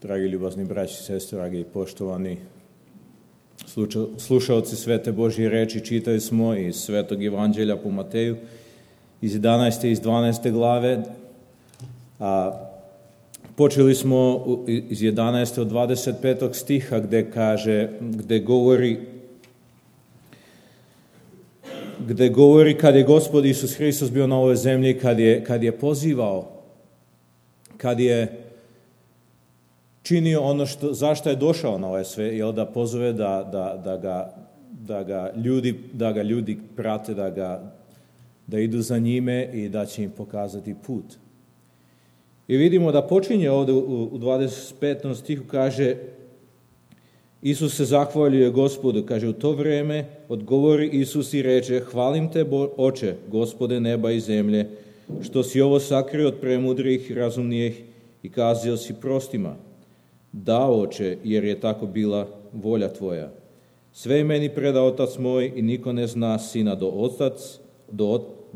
Dragi ljubazni braći i sestre, dragi i poštovani slušaoci Svete Božje reči, čitali smo iz Svetog Evanđelja po Mateju iz 11. i iz 12. glave, a počeli smo iz 11. od 25. stiha gde govori kad je Gospod Isus Hristos bio na ovoj zemlji, kad je pozivao, kad je činio ono zašto je došao na ovaj svet, da pozove da ga ljudi prate, da idu za njime i da će im pokazati put. I vidimo da počinje ovdje u 25. stihu, kaže, Isus se zahvaljuje Gospodu, kaže, u to vrijeme odgovori Isus i reče, hvalim te, Oče, Gospode neba i zemlje, što si ovo sakrio od premudrih i razumnijih i kazio si prostima. Da, Oče, jer je tako bila volja tvoja. Sve je meni predao Otac moj i niko ne zna Sina do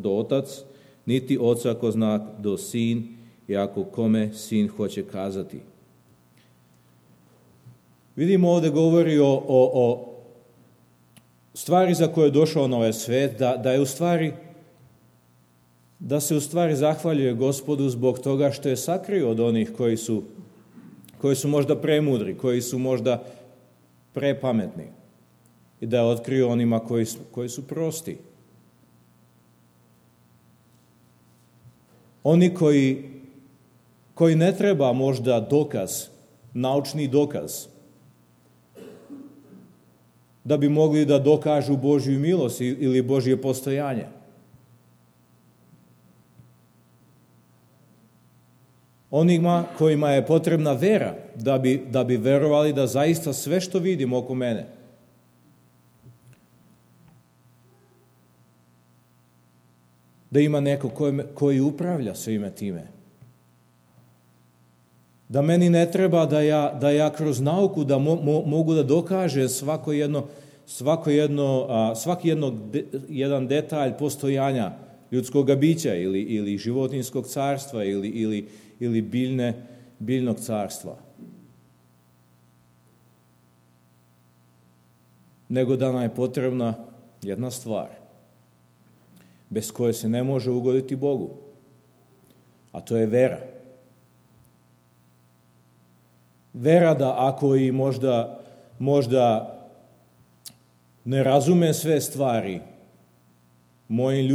Otac, niti Oca ko zna do Sin, i ako kome Sin hoće kazati. Vidimo ovdje govori o stvari za koje je došao na ovaj svet, da se u stvari zahvaljuje Gospodu zbog toga što je sakrio od onih koji su možda premudri, koji su možda prepametni, i da je otkrio onima koji su prosti. Oni koji ne treba možda dokaz, naučni dokaz, da bi mogli da dokažu Božju milost ili Božje postojanje. Onima kojima je potrebna vera, da bi verovali da zaista sve što vidim oko mene, da ima neko koji upravlja svime time. Da meni ne treba da ja kroz nauku da mogu da dokažem jedan detalj postojanja ljudskog bića ili životinjskog carstva ili biljnog carstva. Nego da nam je potrebna jedna stvar, bez koje se ne može ugoditi Bogu, a to je vera. Vera da ako i možda ne razumem sve stvari mojim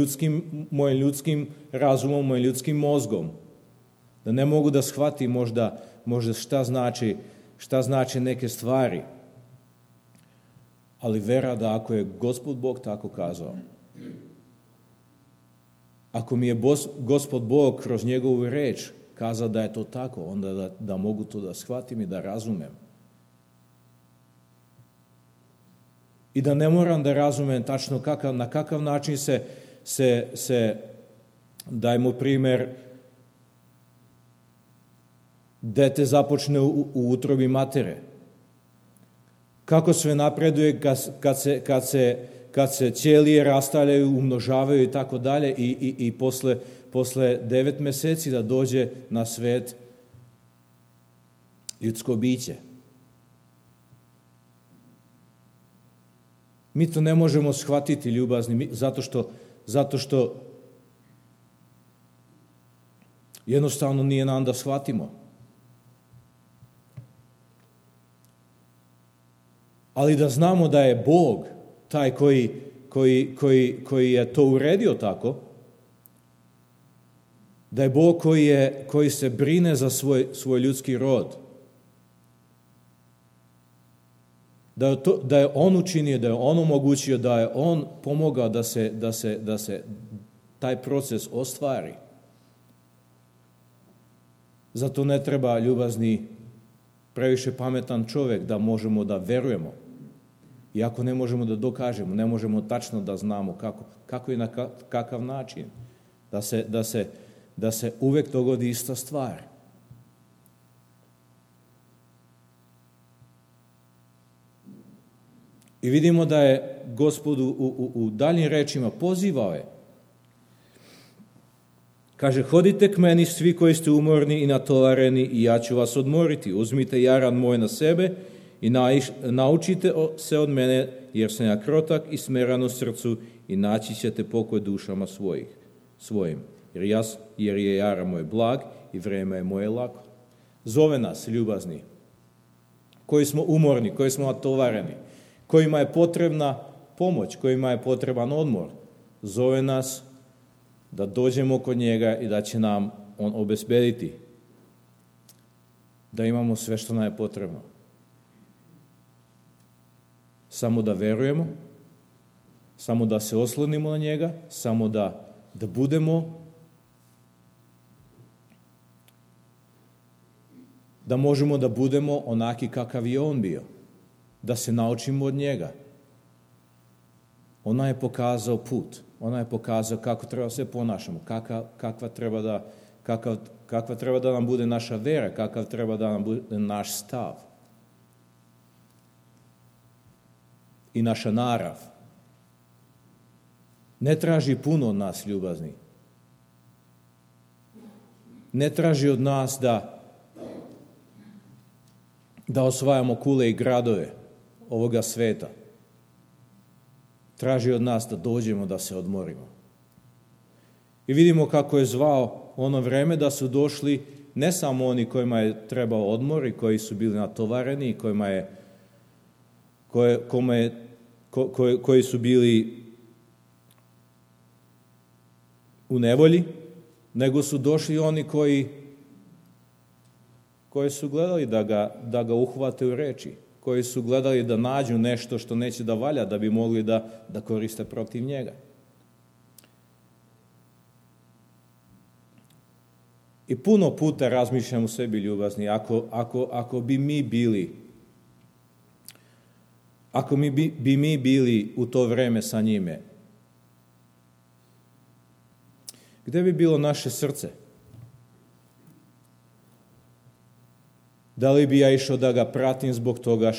ljudskim razumom, mojim ljudskim mozgom, da ne mogu da shvatim možda šta znači neke stvari, ali vera da ako je Gospod Bog tako kazao, ako mi je Gospod Bog kroz njegovu reč kazao da je to tako, onda da mogu to da shvatim i da razumem. I da ne moram da razumem tačno na kakav način se dajmo primjer, dete započne u utrobi matere. Kako sve napreduje kad se ćelije rastavljaju, umnožavaju i tako dalje i posle 9 mjeseci da dođe na svet ljudsko biće. Mi to ne možemo shvatiti, ljubazni, zato što jednostavno nije nam da shvatimo. Ali da znamo da je Bog taj koji je to uredio tako, da je Bog koji se brine za svoj ljudski rod, da je On učinio, da je On omogućio, da je On pomogao da se taj proces ostvari. Zato ne treba, ljubazni, previše pametan čovjek da možemo da verujemo. Iako ne možemo da dokažemo, ne možemo tačno da znamo kako i na kakav način, da se uvek dogodi ista stvar. I vidimo da je Gospod u daljnjim rečima pozivao je Kaže, hodite k meni svi koji ste umorni i natovareni i ja ću vas odmoriti. Uzmite jaran moj na sebe i naučite se od mene, jer sam ja krotak i smeran u srcu i naći ćete pokoj dušama svojim. Jer je jaran moj blag i vrijeme je moje lako. Zove nas, ljubazni, koji smo umorni, koji smo natovareni, kojima je potrebna pomoć, kojima je potreban odmor. Zove nas da dođemo kod njega i da će nam on obezbediti da imamo sve što nam je potrebno. Samo da verujemo, samo da se oslonimo na njega, samo da budemo, da možemo da budemo onaki kakav je on bio, da se naučimo od njega. Ona je pokazao put, ona je pokazao kako treba se ponašamo, kakva treba da nam bude naša vera, kakav treba da nam bude naš stav i naša narav. Ne traži puno od nas, ljubazni. Ne traži od nas da osvajamo kule i gradove ovoga sveta. Traži od nas da dođemo, da se odmorimo. I vidimo kako je zvao ono vreme da su došli ne samo oni kojima je trebao odmor i koji su bili natovareni i koji su bili u nevolji, nego su došli oni koji su gledali da ga uhvate u reči, koji su gledali da nađu nešto što neće da valja, da bi mogli da koriste protiv njega. I puno puta razmišljam u sebi, ljubazni, ako bi mi bili u to vreme sa njime, gde bi bilo naše srce? Da li bi ja išao da ga pratim zbog toga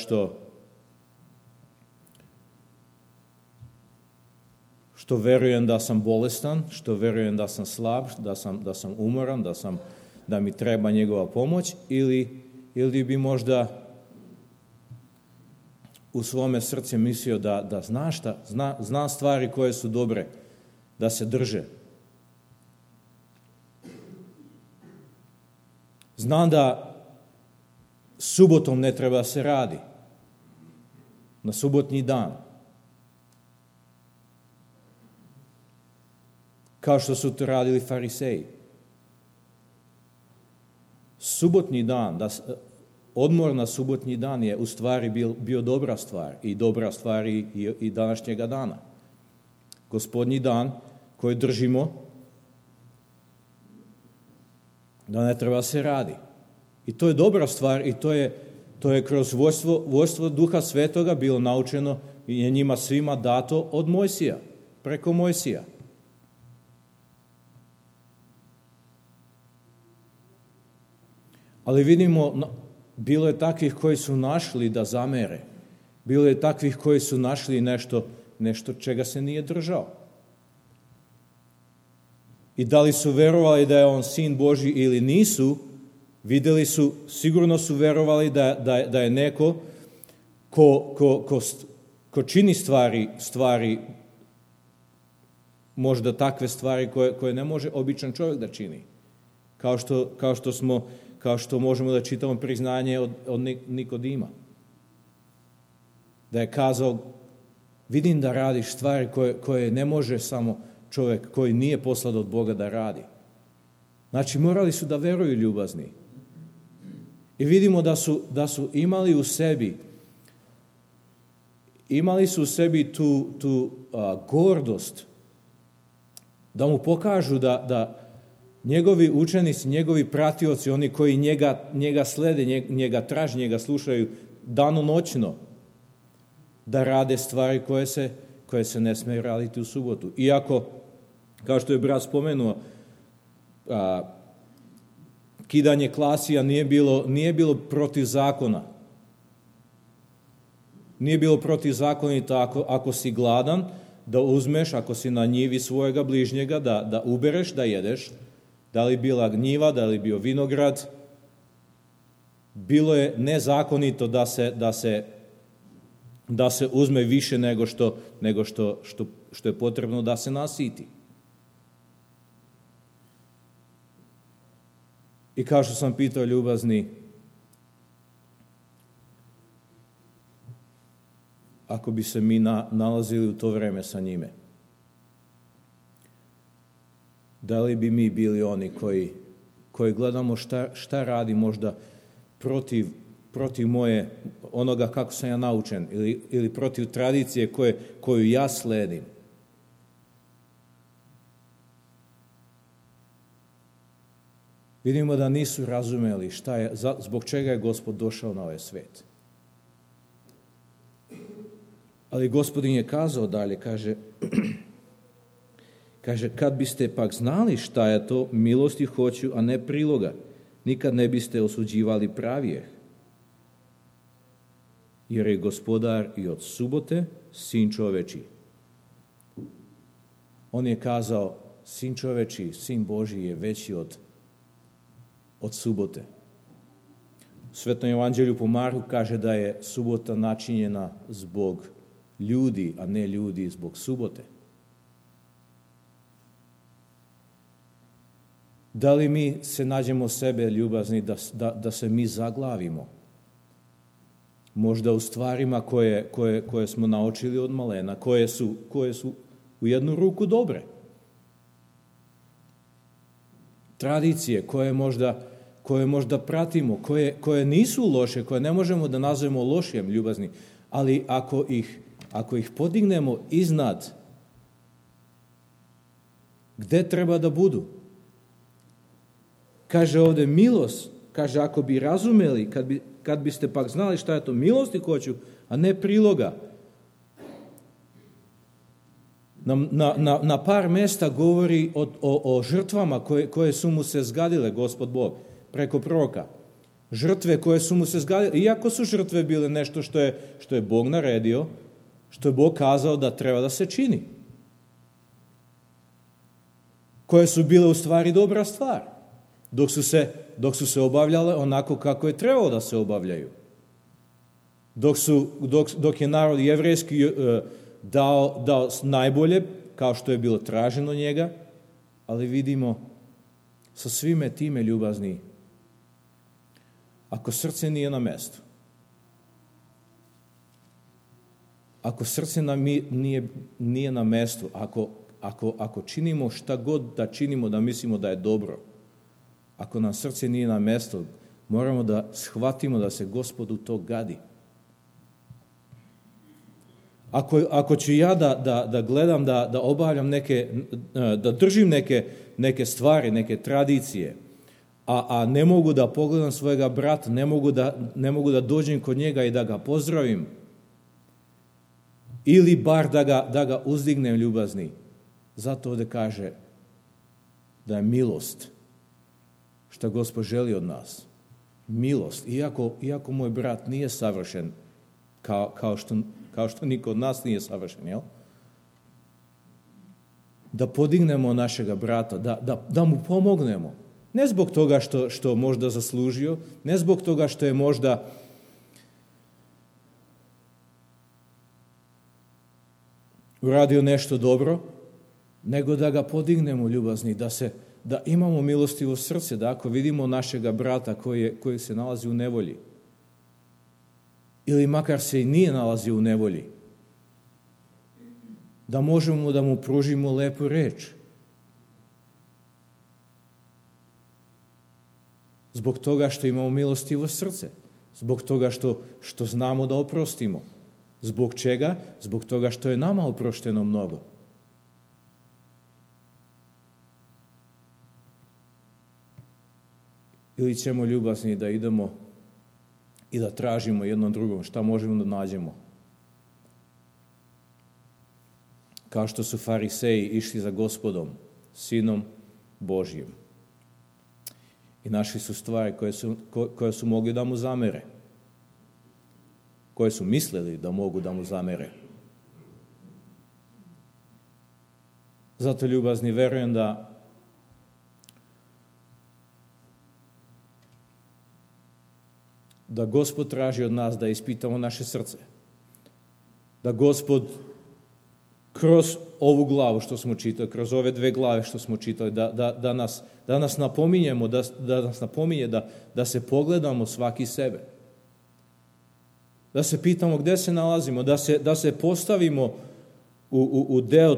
što verujem da sam bolestan, što verujem da sam slab, da sam umoran, da mi treba njegova pomoć, ili bi možda u svome srcu mislio da zna stvari koje su dobre, da se drže. Znam da subotom ne treba se radi, na subotnji dan. Kao što su to radili fariseji. Subotnji dan, odmor na subotnji dan je u stvari bio dobra stvar i dobra stvar i današnjega dana. Gospodnji dan koji držimo, da ne treba se radi. I to je dobra stvar i to je kroz vojstvo Duha Svetoga bilo naučeno i je njima svima dato od Mojsija, preko Mojsija. Ali vidimo, bilo je takvih koji su našli da zamere. Bilo je takvih koji su našli nešto čega se nije držao. I da li su verovali da je on sin Božji ili nisu, videli su, sigurno su verovali da je neko ko čini stvari, možda takve stvari koje ne može običan čovjek da čini. Kao što možemo da čitamo priznanje od Nikodima. Da je kazao, vidim da radiš stvari koje ne može samo čovjek koji nije poslan od Boga da radi. Znači, morali su da veruju, ljubazni. I vidimo da su imali u sebi tu gordost, da mu pokažu da njegovi učenici, njegovi pratioci, oni koji njega slede, njega traže, njega slušaju danonoćno, da rade stvari koje se ne smije raditi u subotu. Iako, kao što je brat spomenuo, kidanje klasija nije bilo protiv zakona. Nije bilo protivzakonito ako si gladan, da uzmeš, ako si na njivi svojega bližnjega, da ubereš, da jedeš, da li bila njiva, da li bio vinograd, bilo je nezakonito da se uzme više nego što je potrebno da se nasiti. I kao što sam pitao ljubazni, ako bi se mi nalazili u to vreme sa njime, da li bi mi bili oni koji gledamo šta radi možda protiv moje, onoga kako sam ja naučen, ili protiv tradicije koju ja sledim. Vidimo da nisu razumeli zbog čega je Gospod došao na ovaj svet. Ali Gospodin je kazao dalje, kaže, kad biste pak znali šta je to, milosti hoću, a ne priloga, nikad ne biste osuđivali pravijeh. Jer je Gospodar i od subote sin čoveči. On je kazao, sin čoveči, sin Božji je veći od subote. U Svetom evanđelju po Marku kaže da je subota načinjena zbog ljudi, a ne ljudi zbog subote. Da li mi se nađemo sebe ljubazni da se mi zaglavimo? Možda u stvarima koje smo naučili od malena, koje su u jednu ruku dobre. Tradicije koje možda pratimo, koje nisu loše, koje ne možemo da nazovemo lošim ljubazni, ali ako ih podignemo iznad gde treba da budu. Kaže ovdje milost, kaže ako bi razumeli, kad biste pak znali šta je to milosti hoću, a ne priloga. Na par mesta govori o žrtvama koje su mu se zgadile, Gospod Bog, preko proroka. Žrtve koje su mu se zgadile, iako su žrtve bile nešto što je Bog naredio, što je Bog kazao da treba da se čini. Koje su bile u stvari dobra stvar, dok su se obavljale onako kako je trebalo da se obavljaju. Dok je narod jevrejski dao najbolje, kao što je bilo traženo njega, ali vidimo sa svime time ljubazni, ako srce nije na mestu, ako srce nije na mestu, ako činimo šta god da činimo da mislimo da je dobro, ako nam srce nije na mestu, moramo da shvatimo da se Gospodu to gadi. Ako ću ja da gledam, da obavljam da držim neke stvari, neke tradicije, a ne mogu da pogledam svojega brata, ne mogu da dođem kod njega i da ga pozdravim, ili bar da ga uzdignem ljubazni. Zato ovdje kaže da je milost šta Gospod želi od nas. Milost, iako moj brat nije savršen, kao što niko od nas nije savršen, jel? Da podignemo našega brata, da mu pomognemo. Ne zbog toga što možda zaslužio, ne zbog toga što je možda uradio nešto dobro, nego da ga podignemo ljubazni, da imamo milostivo srce, da ako vidimo našega brata koji se nalazi u nevolji, ili makar se i nije nalazio u nevolji, da možemo da mu pružimo lepu reč. Zbog toga što imamo milostivo srce, zbog toga što znamo da oprostimo. Zbog čega? Zbog toga što je nama oprošteno mnogo. Ili ćemo ljubazni da idemo i da tražimo jednom drugom šta možemo da nađemo. Kao što su fariseji išli za Gospodom, Sinom Božjim. I našli su stvari koje su mogli da mu zamere. Koje su mislili da mogu da mu zamere. Zato ljubazni verujem da Gospod traži od nas da ispitamo naše srce. Da Gospod kroz ovu glavu što smo čitali, kroz ove 2 glave što smo čitali, da nas napominjemo, da nas napominje da se pogledamo svaki sebe. Da se pitamo gdje se nalazimo, da se postavimo u deo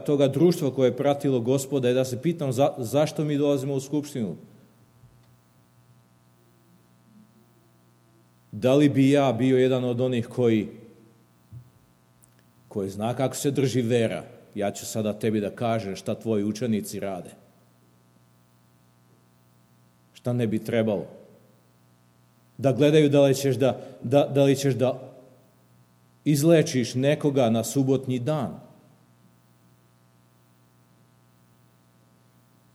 toga društva koje je pratilo Gospoda i da se pitamo zašto mi dolazimo u skupštinu. Da li bi ja bio jedan od onih koji zna kako se drži vera? Ja ću sada tebi da kažem šta tvoji učenici rade. Šta ne bi trebalo? Da gledaju da li ćeš da izlečiš nekoga na subotnji dan.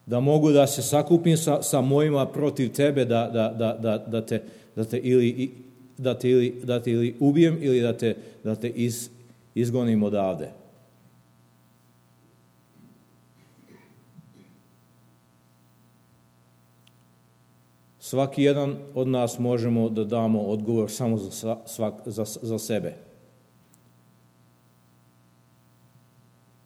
Da mogu da se sakupim sa mojima protiv tebe, da te ili ubijem ili da te izgonim odavde. Svaki jedan od nas možemo da damo odgovor samo za sebe.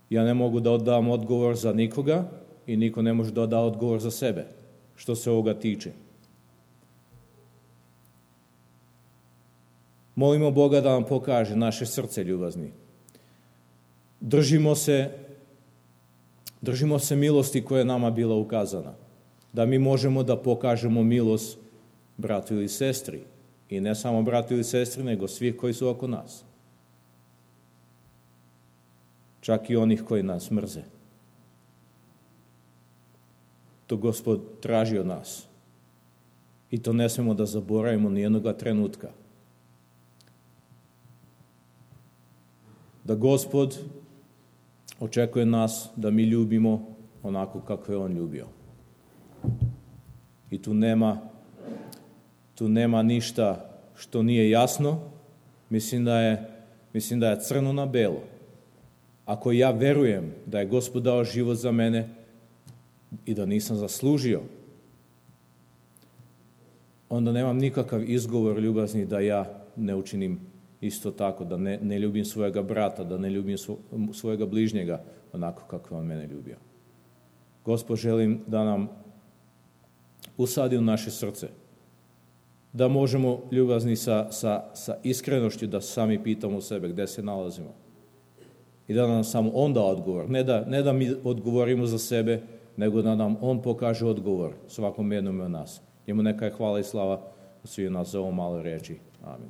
Ja ne mogu da dam odgovor za nikoga i niko ne može da da odgovor za sebe, što se ovoga tiče. Molimo Boga da nam pokaže naše srce, ljubazni. Držimo se milosti koja je nama bila ukazana. Da mi možemo da pokažemo milost bratu ili sestri. I ne samo bratu ili sestri, nego svih koji su oko nas. Čak i onih koji nas mrze. To Gospod traži od nas. I to ne smemo da zaboravimo ni jednoga trenutka. Da Gospod očekuje nas da mi ljubimo onako kako je On ljubio. I tu nema ništa što nije jasno. Mislim da je crno na belo. Ako ja verujem da je Gospod dao život za mene i da nisam zaslužio, onda nemam nikakav izgovor, ljubazni, da ja ne učinim isto tako, da ne ljubim svojega brata, da ne ljubim svojega bližnjega onako kako je on mene ljubio. Gospod, želim da nam usadi u naše srce, da možemo, ljubazni, sa iskrenošću da sami pitamo sebe gdje se nalazimo. I da nam samo On da odgovor. Ne da mi odgovorimo za sebe, nego da nam On pokaže odgovor svakom jednom od nas. Njemu neka je hvala i slava svih nas za ovo malo reči. Amin.